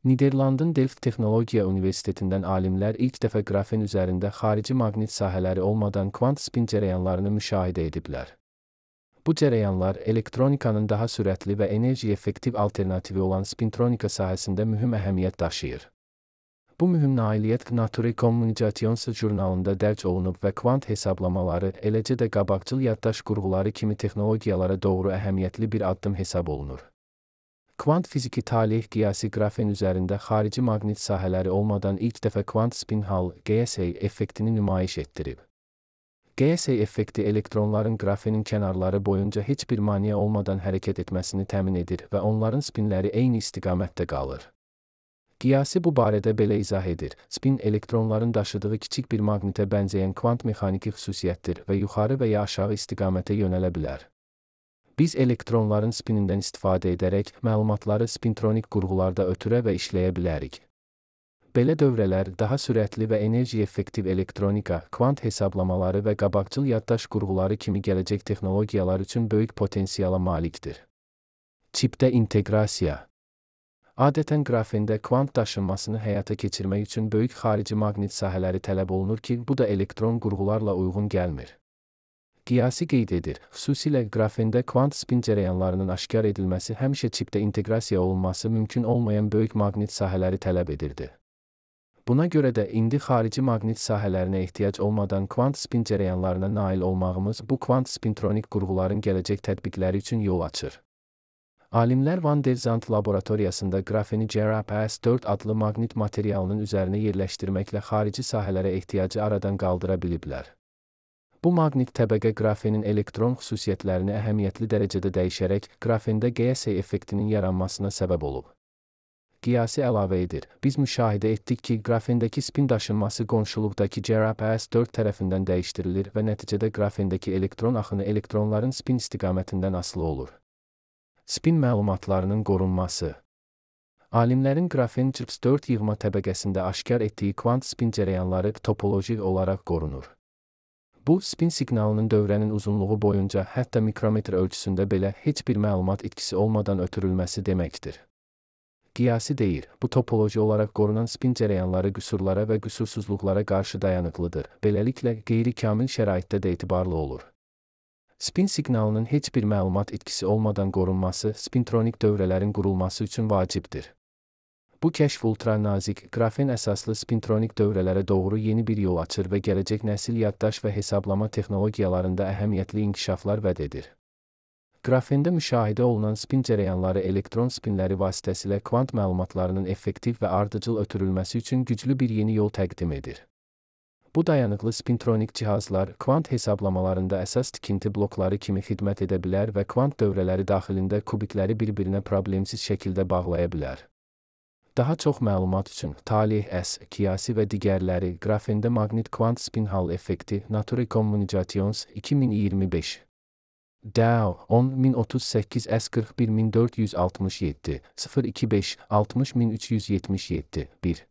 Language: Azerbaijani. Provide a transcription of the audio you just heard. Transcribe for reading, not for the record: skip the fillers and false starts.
Niderlandın Delft Texnologiya Universitetindən alimlər ilk dəfə qrafen üzərində xarici maqnit sahələri olmadan kvant spin cərəyanlarını müşahidə ediblər. Bu cərəyanlar elektronikanın daha sürətli və enerji effektiv alternativi olan spintronika sahəsində mühüm əhəmiyyət daşıyır. Bu mühüm nailiyyət Nature Communications jurnalında dərc olunub və kvant hesablamaları, eləcə də qabaqcıl yaddaş qurğuları kimi texnologiyalara doğru əhəmiyyətli bir addım hesab olunur. Kvant fiziki talih qiyasi qrafen üzərində xarici maqnit sahələri olmadan ilk dəfə kvant spin Hall GSA effektini nümayiş etdirib. GSA effekti elektronların qrafenin kənarları boyunca heç bir maneə olmadan hərəkət etməsini təmin edir və onların spinləri eyni istiqamətdə qalır. Qiyasi bu barədə belə izah edir: spin elektronların daşıdığı kiçik bir maqnitə bənzəyən kvant mexaniki xüsusiyyətdir və yuxarı və ya aşağı istiqamətə yönələ bilər. Biz elektronların spinindən istifadə edərək məlumatları spintronik qurğularda ötürə və işləyə bilərik. Belə dövrələr daha sürətli və enerji effektiv elektronika, kvant hesablamaları və qabaqcıl yaddaş qurğuları kimi gələcək texnologiyalar üçün böyük potensiala malikdir. Çipdə inteqrasiya. Adətən qrafendə kvant daşınmasını həyata keçirmək üçün böyük xarici maqnit sahələri tələb olunur ki, bu da elektron qurğularla uyğun gəlmir. Qiyasi qeyd edir, xüsusilə qrafendə kvant spin cərəyanlarının aşkar edilməsi həmişə çipdə inteqrasiya olunması mümkün olmayan böyük maqnit sahələri tələb edirdi. Buna görə də indi xarici maqnit sahələrinə ehtiyac olmadan kvant spin cərəyanlarına nail olmağımız bu kvant spintronik qurğuların gələcək tətbiqləri üçün yol açır. Alimlər Van der Zandt laboratoriyasında qrafeni GRAPS-4 adlı maqnit materialının üzərinə yerləşdirməklə xarici sahələrə ehtiyacı aradan qaldıra biliblər. Bu maqnit təbəqə qrafenin elektron xüsusiyyətlərini əhəmiyyətli dərəcədə dəyişərək qrafendə GSA effektinin yaranmasına səbəb olub. Qiyasi əlavə edir, biz müşahidə etdik ki, qrafendəki spin daşınması qonşuluqdakı GRAPS-4 tərəfindən dəyişdirilir və nəticədə qrafendəki elektron axını elektronların spin istiqamətindən asılı olur. Spin məlumatlarının qorunması. Alimlərin qrafen GRAPS-4 yığma təbəqəsində aşkar etdiyi kvant spin cərəyanları topoloji olaraq qorunur. Bu, spin siqnalının dövrənin uzunluğu boyunca hətta mikrometr ölçüsündə belə heç bir məlumat itkisi olmadan ötürülməsi deməkdir. Qiyasi deyir, bu topoloji olaraq qorunan spin cərəyanları qüsurlara və qüsursuzluqlara qarşı dayanıqlıdır, beləliklə qeyri-kamil şəraitdə də etibarlı olur. Spin siqnalının heç bir məlumat itkisi olmadan qorunması spintronik dövrələrin qurulması üçün vacibdir. Bu kəşf ultranazik, qrafen əsaslı spintronik dövrələrə doğru yeni bir yol açır və gələcək nəsil yaddaş və hesablama texnologiyalarında əhəmiyyətli inkişaflar vəd edir. Qrafendə müşahidə olunan spin cərəyanları elektron spinləri vasitəsilə kvant məlumatlarının effektiv və ardıcıl ötürülməsi üçün güclü bir yeni yol təqdim edir. Bu dayanıqlı spintronik cihazlar kvant hesablamalarında əsas tikinti blokları kimi xidmət edə bilər və kvant dövrələri daxilində kubitləri bir-birinə problemsiz şəkildə bağlaya bilər. Daha çox məlumat üçün talih S, qiyasi və digərləri qrafendə maqnit kvant spin Hall effekti Nature Communications 2025 DAO 10038 S41467 025 60377 1